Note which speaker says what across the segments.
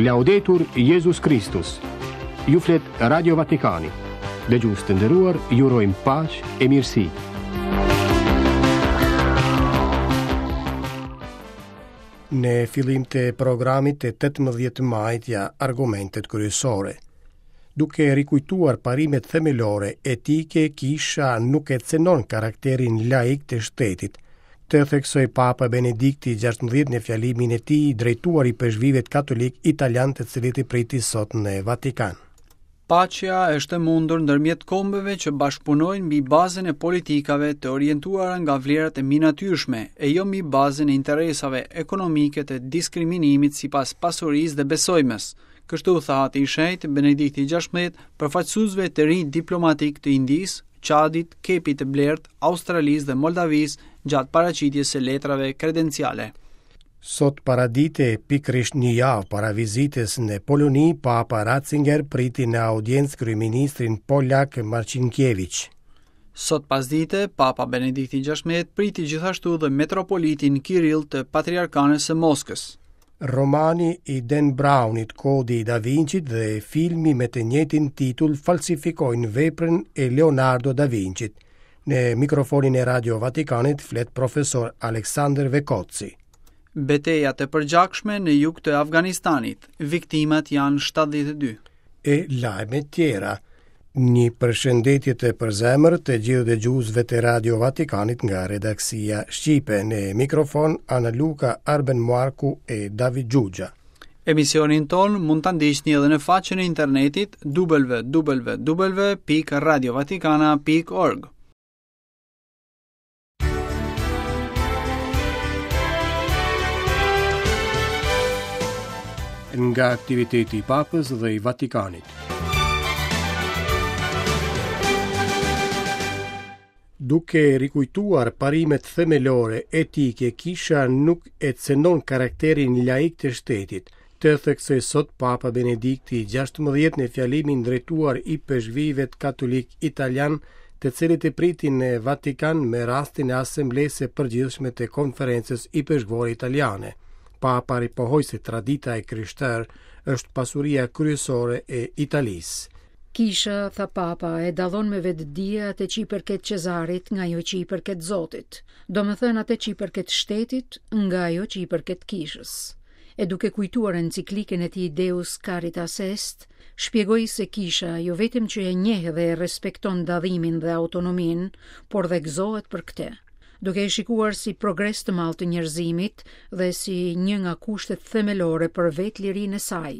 Speaker 1: Laudetur Jezus Kristus. Ju flet Radio Vatikani. Dëgjues të nderuar, ju urojmë paqe e mirësi.
Speaker 2: Në fillim të programit të 18 majit ja argumentet kryesore. Duke rikujtuar parimet themelore etike, kisha nuk e cenon karakterin laik të shtetit. Këtë theksoi Papa Benedikti XVI në fjalimin e tij drejtuar ipeshkvijve katolikë italianë të cilët i priti sot në Vatikan.
Speaker 3: Paqja është e mundur ndërmjet kombeve që bashkëpunojnë mbi bazën e politikave të orientuara nga vlerat e mbinatyrshme e jo mbi bazën e interesave ekonomike të diskriminimit sipas pasurisë dhe besojmes. Kështu tha Ati i Shenjtë Benedikti XVI përfaqësuesve të rinj diplomatikë të Indisë, Çadit, Kepit të Blertë, Australisë dhe Moldavisë gjatë paraqitjes së letrave kredenciale.
Speaker 2: Sot paradite, pikërisht një javë para vizitës në Poloni, Papa Ratzinger priti në audiencë kryeministrin polak Marcinkiewicz.
Speaker 3: Sot pasdite, Papa Benedikti XVI priti gjithashtu dhe metropolitin Kirill të Patriarkanës së Moskës.
Speaker 2: Romani i Dan Brownit, Kodi i Da Vincit dhe filmi me të njëjtin titull falsifikojnë veprën e Leonardo da Vincit. Në mikrofonin e Radio Vatikanit flet profesor Aleksandër Vekotsi.
Speaker 3: Beteja të përgjakshme në jug të Afganistanit, viktimat janë 72.
Speaker 2: E lajme tjera. Një përshëndetje të përzemërt të gjithë dëgjuesve të Radio Vatikanit nga redaksia shqipe në mikrofon Ana Luka, Arben Marku e David Xhuxha.
Speaker 3: Emisionin tonë mund ta ndiqni edhe në faqen e internetit www.radiovatikana.org.
Speaker 2: Nga aktiviteti i Papës dhe i Vatikanit. Duke rikujtuar parimet themelore etike, kisha nuk e cenon karakterin laik të shtetit. Këtë theksoi sot Papa Benedikti XVI në fjalimin drejtuar ipeshkvijve katolikë italianë, të cilët e priti në Vatikan me rastin e Asamblesë së Përgjithshme të Konferencës Ipeshkvore Italiane. Papa ripohoi se tradita e krishterë është pasuria kryesore e Italisë.
Speaker 4: Kisha, tha Papa, e dallon me vetëdije atë që i përket Cezarit nga ajo që i përket Zotit, domethënë atë që i përket shtetit nga ajo që i përket kishës. E duke kujtuar enciklikën e tij Deus Caritas Est, shpjegoi se kisha jo vetëm që e njeh dhe e respekton dallimin dhe autonominë, por dhe gëzohet për këtë, duke e shikuar si progres të madh të njerëzimit dhe si një nga kushtet themelore për vetë lirinë e saj,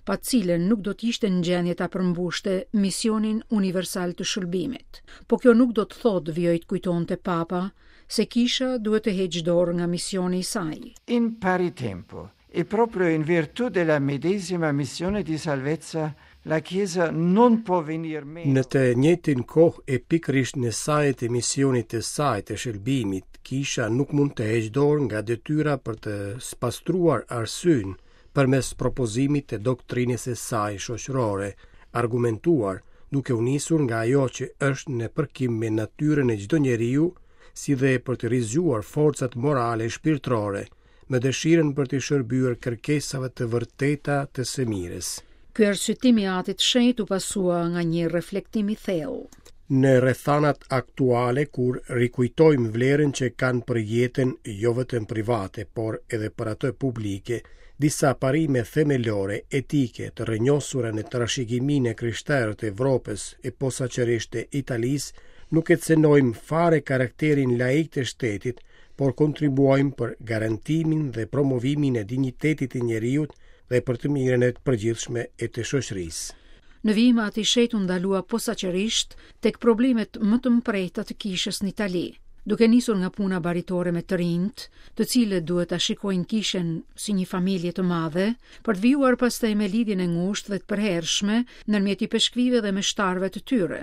Speaker 4: pa të cilën nuk do të ishte në gjendje ta përmbushte misionin universal të shëlbimit. Po kjo nuk do të thotë, vijoi të kujtonte Papa, se kisha duhet të heqë dorë nga misioni i saj.
Speaker 5: In pari tempo, e proprio in virtù della medesima missione di salvezza, la Chiesa non può venir meno.
Speaker 2: Në të njëjtin kohë e pikërisht në saje të misionit të saj të shëlbimit, kisha nuk mund të heqë dorë nga detyra për të spastruar arsyen përmes propozimit të doktrinës së saj shoqërore, argumentuar duke u nisur nga ajo që është në përkim me natyrën e çdo njeriu, si dhe për të rizgjuar forcat morale e shpirtërore, me dëshirën për t'i shërbyer kërkesave të vërteta të së
Speaker 4: mirës. Ky arsyetim i Atit të Shenjtë u pasua nga një reflektim i thellë.
Speaker 2: Në rrethanat aktuale kur rikujtojmë vlerën që kanë për jetën jo vetëm private, por edhe për atë publike, disa parime themelore etike të rrënjosura në trashëgiminë e krishterë të Evropës e posaçërisht të Italisë, nuk e cenojmë fare karakterin laik të shtetit, por kontribuojmë për garantimin dhe promovimin e dinjitetit të njeriut dhe për të mirën e përgjithshme e të shoqërisë.
Speaker 4: Në vijim Ati i Shenjtë u ndalua posaçërisht tek problemet më të mprehta të kishës në Itali, duke nisur nga puna baritore me të rinjtë, të cilët duhet ta shikojnë kishën si një familje të madhe, për të vijuar pastaj me lidhjen e ngushtë dhe të përhershme ndërmjet ipeshkvijve dhe meshtarëve të tyre,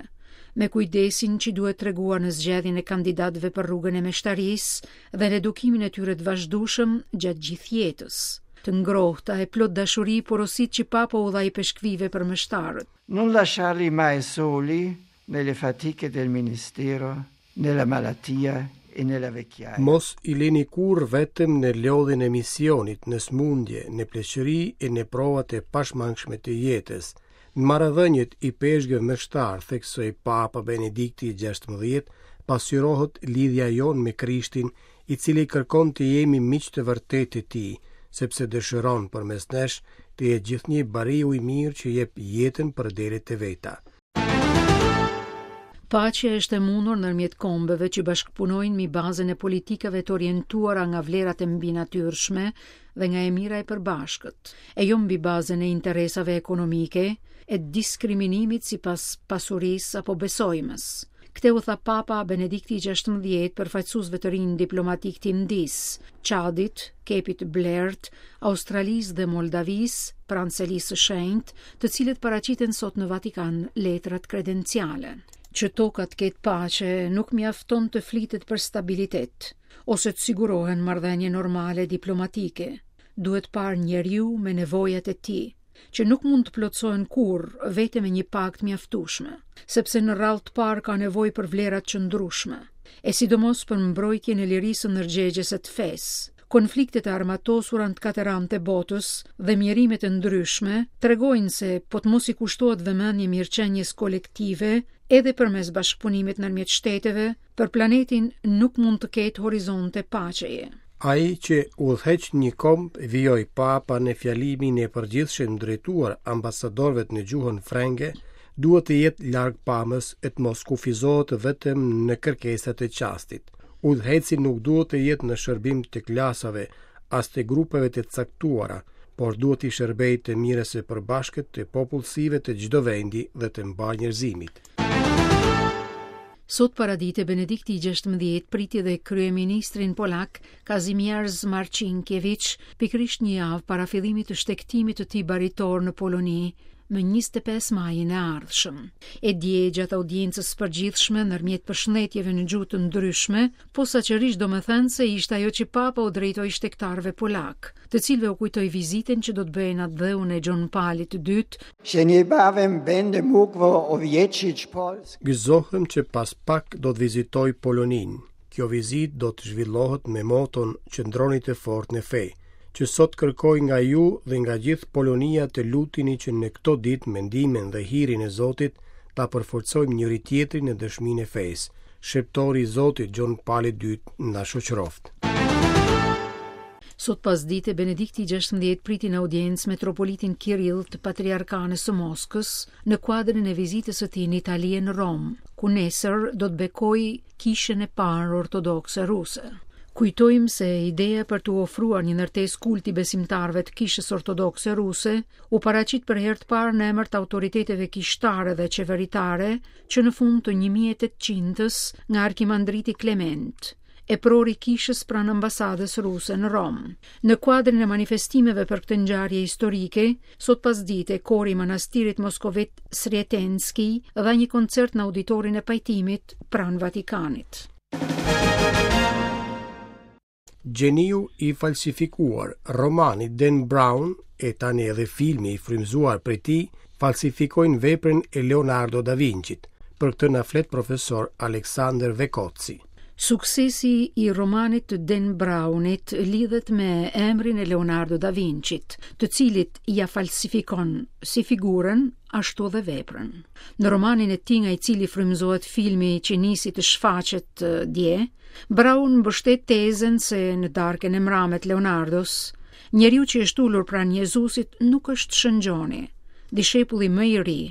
Speaker 4: me kujdesin që duhet treguar në zgjedhjen e kandidatëve për rrugën e meshtarisë dhe në edukimin e tyre të vazhdueshëm gjatë gjithë jetës. Të ngrohta e plot dashuri porositë që Papa u dha ipeshkvijve për meshtarët.
Speaker 5: Non lasciarli mai soli nelle fatiche del ministero, nella malattia. e nella vecchiaia.
Speaker 2: Mos i lini kurrë vetëm në lodhjen e misionit, në sëmundje, në pleqëri e në provat e pashmangshme të jetës. Në marrëdhëniet ipeshkvë meshtar, theksoi Papa Benedikti XVI, pasqyrohet lidhja jonë me Krishtin, i cili kërkon të jemi miq të vërtetë të tij, sepse dëshiron përmes nesh të jetë gjithnjë bariu i mirë që jep jetën për delet e veta.
Speaker 4: Paqja është e mundur ndërmjet kombeve që bashkëpunojnë mbi bazën e politikave të orientuara nga vlerat e mbinatyrshme dhe nga e mira e përbashkët, e jo mbi bazën e interesave ekonomike e diskriminimit sipas pasurisë apo besojmës. Këtë u tha Papa Benedikti i XVI përfaqësuesve të rinj diplomatikë të Indisë, Çadit, Kepit Blertë, Australisë dhe Moldavisë, pranë Selisë së Shenjtë, të cilët paraqitën sot në Vatikan letrat kredenciale. Që toka të ketë paqe, nuk mjafton të flitet për stabilitet ose të sigurohen marrëdhënie normale diplomatike. Duhet parë njeriu me nevojat e tij. që nuk mund të plotësohen kurrë vetëm me një pagë të mjaftueshme, sepse në radhë të parë ka nevojë për vlera të qëndrueshme, e sidomos për mbrojtjen e lirisë së ndërgjegjes e të fesë. Konfliktet e armatosura në të katër anët e botës dhe mjerimet e ndryshme tregojnë se po të mos i kushtohet vëmendje mirëqenies kolektive edhe përmes bashkëpunimit ndërmjet shteteve, Për planetin nuk mund të ketë horizonte paqeje.
Speaker 2: Ai që udhëheq një komb, vijoi Papa në fjalimin e përgjithshëm drejtuar ambasadorëve në gjuhën frënge, duhet të jetë largpamës e të mos kufizohet vetëm në kërkesat e çastit. Udhëheqësi nuk duhet të jetë në shërbim të klasave, as të grupeve të caktuara, por duhet t'i shërbejë të mirës së përbashkët të popullsive të çdo vendi dhe të mbarë njerëzimit.
Speaker 4: Sot paradite Benedikti i XVI priti dhe kryeministrin polak Kazimierz Marcinkiewicz, pikërisht një javë para fillimit të shtegtimit të tij baritor në Poloni, më 25 majin e ardhshëm. E dje gjatë audiencës së përgjithshme ndërmjet përshëndetjeve në gjuhë të ndryshme, posaçërisht domethënëse ishte ajo që Papa u drejtoi shtegtarëve polakë, të cilëve u kujtoi vizitën që do të bëjë në atdheun e Gjon Palit të
Speaker 5: Dytë. Że niebawem będę mógł odwiedzić
Speaker 2: Polskę. Gëzohem që pas pak do të vizitoj Poloninë. Kjo vizitë do të zhvillohet me moton Qëndroni të fortë në fe. Që sot kërkoj nga ju dhe nga gjithë Polonia të luteni që në këto ditë me ndihmën dhe hirin e Zotit ta përforcojmë njëri-tjetrin në dëshminë e fesë. Shërbëtori i Zotit Gjon Pali i Dytë na shoqëroftë.
Speaker 4: Sot pasdite Benedikti i XVI priti në audiencë metropolitin Kirill të Patriarkanës së Moskës në kuadrin e vizitës së tij në Itali e në Romë, ku nesër do të bekojë kishën e parë ortodokse ruse. Kujtojmë se ideja për t'u ofruar një ndërtesë kulti besimtarëve të Kishës Ortodokse Ruse u paraqit për herë të parë në emër të autoriteteve kishtare dhe qeveritare që në fund të 1800-s nga arkimandriti Klement, epror i kishës pranë ambasadës ruse në Romë. Në kuadrin e manifestimeve për këtë ngjarje historike, sot pasdite kori i manastirit moskovit Srietenski dha një koncert në auditorin e pajtimit pranë Vatikanit.
Speaker 2: Gjeniu i falsifikuar, romani Dan Brown e tani edhe filmi i frymëzuar prej tij, falsifikojnë veprën e Leonardo da Vincit. Për këtë na flet profesor Aleksandër Vekoci.
Speaker 4: Suksesi i romanit të Dan Brownit lidhet me emrin e Leonardo da Vincit, të cilit ia falsifikon si figurën ashtu dhe veprën. Në romanin e tij nga i cili frymëzohet filmi që nisi të shfaqet dje, Brown mbështet tezën se në darkën e mrame të Leonardos, njeriu që është ulur pranë Jezusit nuk është Shën Gjoni, dishepulli më i ri,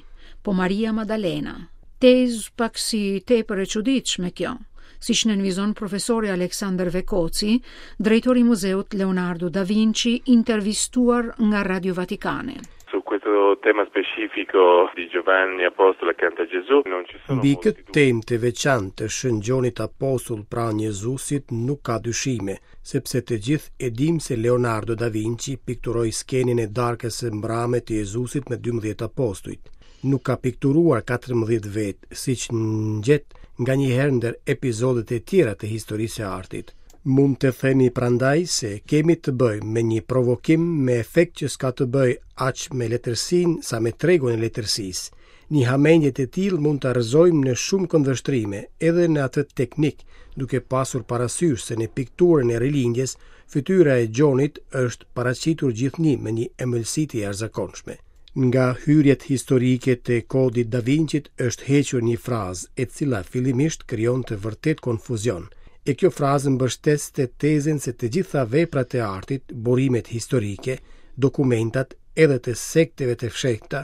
Speaker 4: po Maria Madalena. Tezë pak si tepër e çuditshme kjo, siç nënvizon profesori Aleksandër Vekoci, drejtor i Muzeut Leonardo da Vinci, intervistuar nga Radio Vatikani.
Speaker 6: Su questo tema specifico di Giovanni Apostolo accanto a Gesù non ci
Speaker 2: sono Mbi këtë temë të veçantë të Shën Gjonit Apostull pranë Jezusit nuk ka dyshime, sepse të gjithë e dimë se Leonardo da Vinci pikturoi skenën e darkës së mbrame të Jezusit me 12 apostujt. Nuk ka pikturuar 14 vetë, siç ngjet nganjëherë ndër epizodet e tjera të historisë së artit. Mund të themi prandaj se kemi të bëjmë me një provokim me efekt që s'ka të bëjë aq me letërsinë sa me tregun e letërsisë. Një hamendje të tillë mund ta rrëzojmë në shumë këndvështrime, edhe në atë teknik, duke pasur parasysh se në pikturën e Rilindjes, fytyra e Gjonit është paraqitur gjithnjë me një ëmbëlsi të jashtëzakonshme. Nga hyrjet historike të Kodit Da Vinçit është hequr një frazë, e cila fillimisht krijonte vërtet konfuzion. E kjo frazë mbështeste tezën se të gjitha veprat e artit, burimet historike, dokumentat edhe të sekteve të fshehta,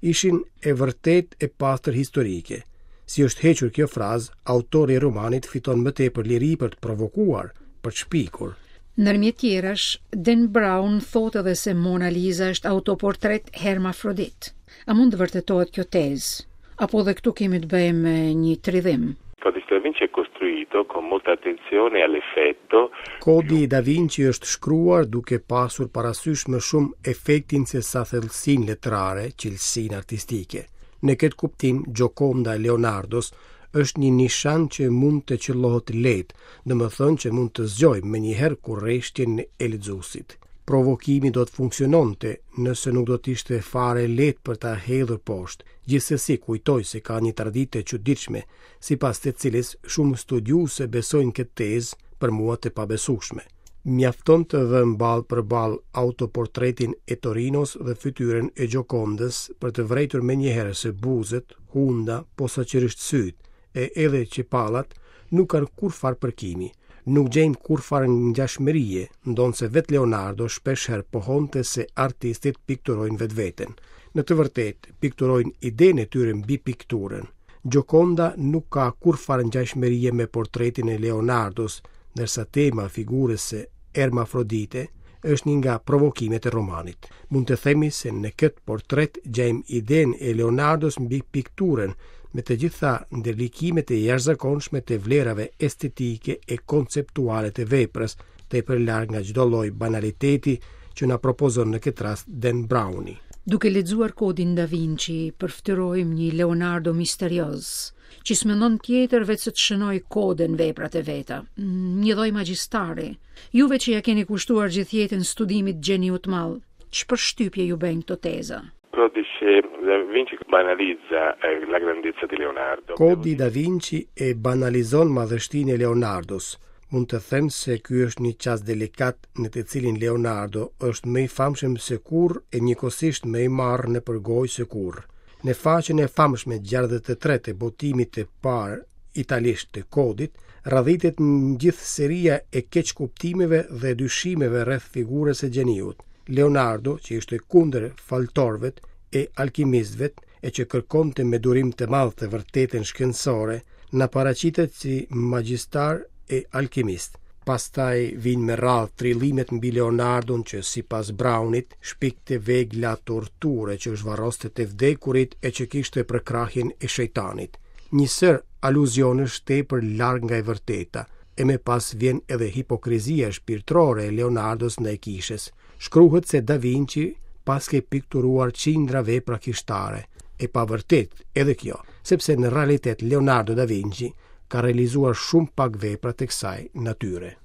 Speaker 2: ishin e vërtetë e pastër historike. Si është hequr kjo frazë, autori i romanit fiton më tepër liri për të provokuar, për të shpikur.
Speaker 4: Ndërmjet tjerash, Dan Brown thotë edhe se Mona Lisa është autoportret hermafrodit. A mund të vërtetohet kjo tezë? Apo dhe këtu kemi të bëjmë me një tridhim?
Speaker 6: Codice da Vinci è costruito con molta attenzione all'effetto.
Speaker 2: Kodi Da Vinci është shkruar duke pasur parasysh më shumë efektin se sa thellësinë letrare, cilësinë artistike. Në këtë kuptim, Gioconda e Leonardos është një nishan që mund të qëllohet lehtë, domethënë që mund të zgjojë menjëherë kureshtjen e lexuesit. Provokimi do të funksiononte nëse nuk do të ishte fare lehtë për ta hedhur poshtë. Gjithsesi, kujtoj se ka një traditë të çuditshme, sipas të cilës shumë studiues e besojnë këtë tezë, për mua të pabesueshme. Mjafton të vëmë ballë për ballë autoportretin e Torinos dhe fytyrën e Gjokondës për të vërejtur menjëherë se buzët, hunda, posaçërisht sytë, e edhe qepallat nuk kanë kurrfarë përkimi. Nuk gjejmë kurrfarë ngjashmërie, ndonëse vetë Leonardo shpeshherë pohonte se artistët pikturojnë vetveten. Në të vërtetë, pikturojnë idenë e tyre mbi pikturën. Gioconda nuk ka kurrfarë ngjashmërie me portretin e Leonardos, ndërsa tema e figurës së Ermafrodite është një nga provokimet e romanit. Mund të themi se në këtë portret gjejmë idenë e Leonardos mbi pikturën, me të gjitha ndërlikimet e jashtëzakonshme të vlerave estetike e konceptuale të veprës, tepër larg nga çdo lloj banaliteti që na propozon në këtë rast Dan Browni.
Speaker 4: Duke lexuar Kodin Da Vinci, përfytyrojmë një Leonardo misterioz, që s'mendon tjetër veçse të shënojë kode në veprat e veta, një lloj magjistari. Juve që ia keni kushtuar gjithë jetën studimit të gjeniut të madh, ç'përshtypje ju bëjnë këto teza?
Speaker 6: Codice Da Vinci banalizza eh, la grandezza di Leonardo.
Speaker 2: Kodi Da Vinci e banalizon madhështinë e Leonardos. Mund të them se ky është një çast delikat në të cilin Leonardo është më i famshëm se kurrë e njëkohësisht më i marrë nëpër gojë se kurrë. Në faqen e famshme 63 të botimit të parë italisht të kodit, radhitet gjithë seria e keqkuptimeve dhe dyshimeve rreth figurës së gjeniut. Leonardo, që ishte kundër faltorëve e alkimistëve e që kërkonte me durim të madh të vërtetën shkencore, na paraqitet si magjistar e alkimist. Pastaj vijnë me radhë trillimet mbi Leonardon që sipas Brownit shpikte vegla torture që zhvarroste të vdekurit e që kishte përkrahjen e shejtanit. Një sërë aluzionesh tepër larg nga e vërteta, e më pas vjen edhe hipokrizia shpirtërore e Leonardos ndaj kishës. Shkruhet se Da Vinci paske pikturuar qindra vepra kishtare. E pavërtetë edhe kjo, sepse në realitet Leonardo da Vinci ka realizuar shumë pak vepra të kësaj natyre.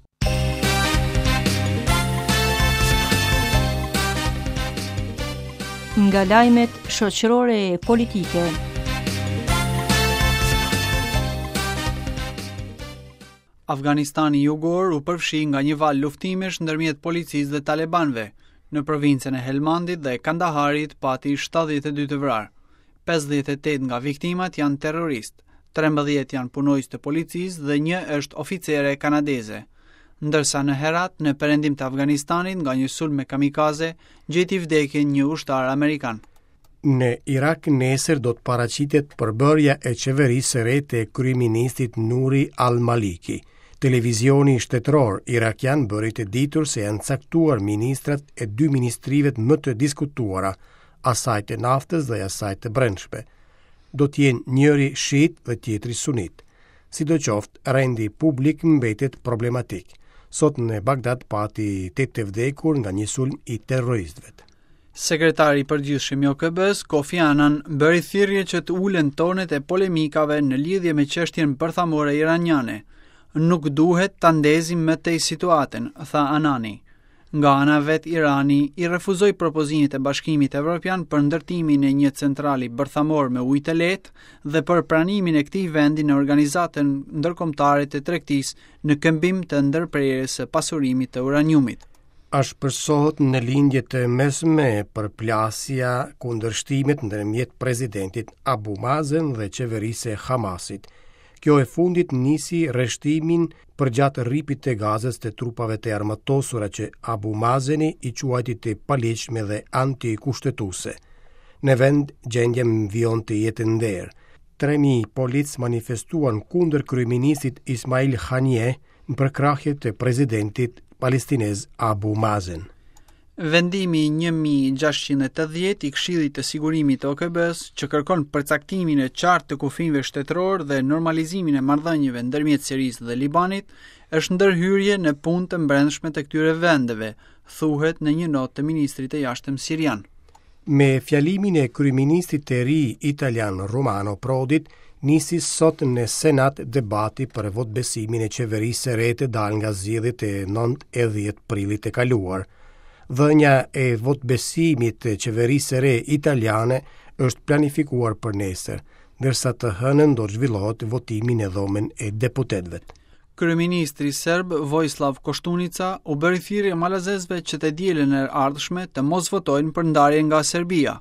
Speaker 7: Nga lajmet shoqërore e politike.
Speaker 3: Afganistani jugor u përfshi nga një valë luftimesh ndërmjet policisë dhe talebanëve. Në provincën e Helmandit dhe Kandaharit pati 72 të vrarë. 58 nga viktimat janë terroristë, 13 janë punonjës të policisë dhe një është oficere kanadeze. Ndërsa në Herat, në perëndim të Afganistanit, nga një sulm me kamikaze, gjeti vdekjen një ushtar amerikan.
Speaker 2: Në Irak nesër do të paraqitet përbërja e qeverisë së re të kryeministrit Nuri al-Maliki. Televizioni shtetëror irakian bëri të ditur se janë caktuar ministrat e dy ministrive më të diskutuara, asaj të naftës dhe asaj të brendshme. Do të jenë njëri shiit dhe tjetri sunit. Sidoqoftë, rendi publik mbetet problematik. Sot në Bagdad pati 8 të vdekur nga një sulm i terroristëve.
Speaker 3: Sekretari i Përgjithshëm i OKB-së, Kofi Annan, bëri thirrje që të ulen tonet e polemikave në lidhje me çështjen bërthamore iraniane. Nuk duhet ta ndezim më tej situatën, tha Annani. Nga ana e vet Irani i refuzoi propozimet e Bashkimit Evropian për ndërtimin e një centrali bërthamor me ujë të lehtë dhe për pranimin e këtij vendi në Organizatën Ndërkombëtare të Tregtisë në këmbim të ndërprerjes së pasurimit të uraniumit.
Speaker 2: Ashpërsohet në Lindje të Mesme përplasja kundërshtimet ndërmjet presidentit Abu Mazen dhe qeverisë së Hamasit. Kjo e fundit nisi rreshtimin përgjatë rripit të Gazës të trupave të armatosura që Abu Mazeni i quajti të paligjshme dhe antikushtetuese. Në vend, gjendja vijon të jetë e nderë. 3000 policë manifestuan kundër kryeministrit Ismail Haniyeh në përkrahje të presidentit palestinez Abu Mazen.
Speaker 3: Vendimi 1680 i Këshillit të Sigurimit të OKB-së, që kërkon përcaktimin e qartë të kufinjve shtetërorë dhe normalizimin e marrëdhënieve ndërmjet Sirisë dhe Libanit, është ndërhyrje në punë të brendshme të këtyre vendeve, thuhet në një notë të ministrit të Jashtëm sirian.
Speaker 2: Me fjalimin e kryeministrit të ri italian Romano Prodit, nisi sot në Senat debati për votëbesimin e qeverisë së re të dalë nga zgjedhjet e 9 e 10 prillit të kaluar. Dhënia e votëbesimit të qeverisë së re italiane është planifikuar për nesër, ndërsa të hënën do të zhvillohet votimi në dhomën e deputetëve.
Speaker 3: Kryeministri serb Vojislav Koshtunica u bëri thirrje malazezëve që të dielën e ardhshme të mos votojnë për ndarje nga Serbia.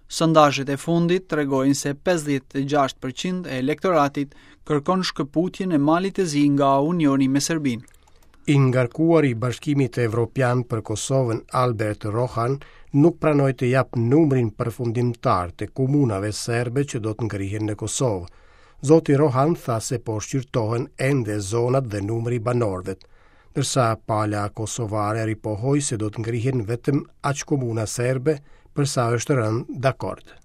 Speaker 3: Sondazhet e fundit tregojnë se 56% e elektoratit kërkon shkëputjen e Malit të Zi nga Unioni me Serbinë.
Speaker 2: I ngarkuari i Bashkimit Evropian për Kosovën Albert Rohan nuk pranoi të japë numrin përfundimtar të komunave serbe që do të ngrihen në Kosovë. Zoti Rohan tha se po shqyrtohen ende zonat dhe numri i banorëve, ndërsa pala kosovare ripohoi se do të ngrihen vetëm aq komuna serbe për sa është rënë dakord.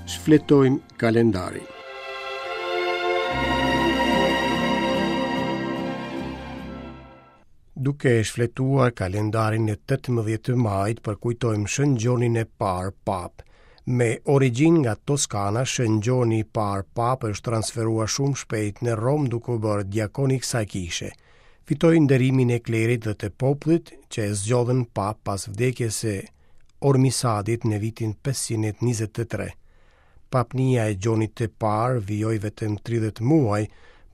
Speaker 2: Shfletojmë kalendarin. Duke shfletuar kalendarin e 18 majit përkujtojmë Shën Gjonin e parë Papë. Me origjinë nga Toskana, Shën Gjoni i parë Papë është transferuar shumë shpejt në Romë duke u bërë diakon i kësaj kishe. Fitoi nderimin e klerit dhe të popullit që e zgjodhën Papë pas vdekjes së Ormisadit në vitin 523. Papnia e Gjonit të Parë vijoi vetëm 30 muaj,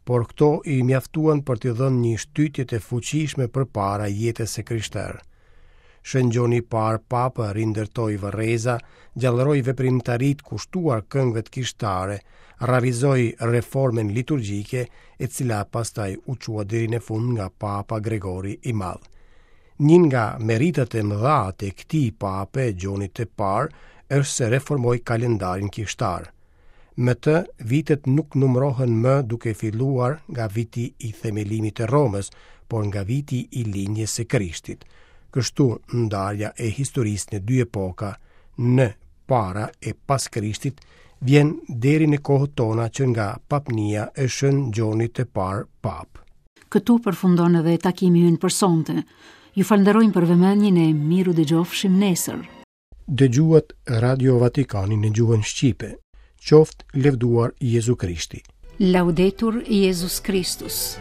Speaker 2: por këto i mjaftuan për t'i dhënë një shtytje të fuqishme përpara jetës së krishterë. Shën Gjoni i Parë Papë rindërtoi varreza, gjallëroi veprimtaritë kushtuar këngëve të kishtare, realizoi reformën liturgjike, e cila pastaj u çua deri në fund nga Papa Gregori i Madh. Një nga meritat e mëdha të këtij pape, Gjonit të Parë, është se reformoi kalendarin kishtar. Me të, vitet nuk numërohen më duke filluar nga viti i themelimit të Romës, por nga viti i lindjes së Krishtit. Kështu, ndarja e historisë në dy epoka, në para e pas Krishtit, vjen deri në kohët tona që nga papnia e Shën Gjonit të Parë Papë.
Speaker 4: Këtu përfundon edhe takimi ynë për sonte. Ju falënderojmë për vëmendjen e mirudëgjofshim nesër.
Speaker 2: Dëgjuat Radio Vatikanin në gjuhën shqipe. Qoftë lëvduar Jezu Krishti.
Speaker 4: Laudetur Jezus Kristus.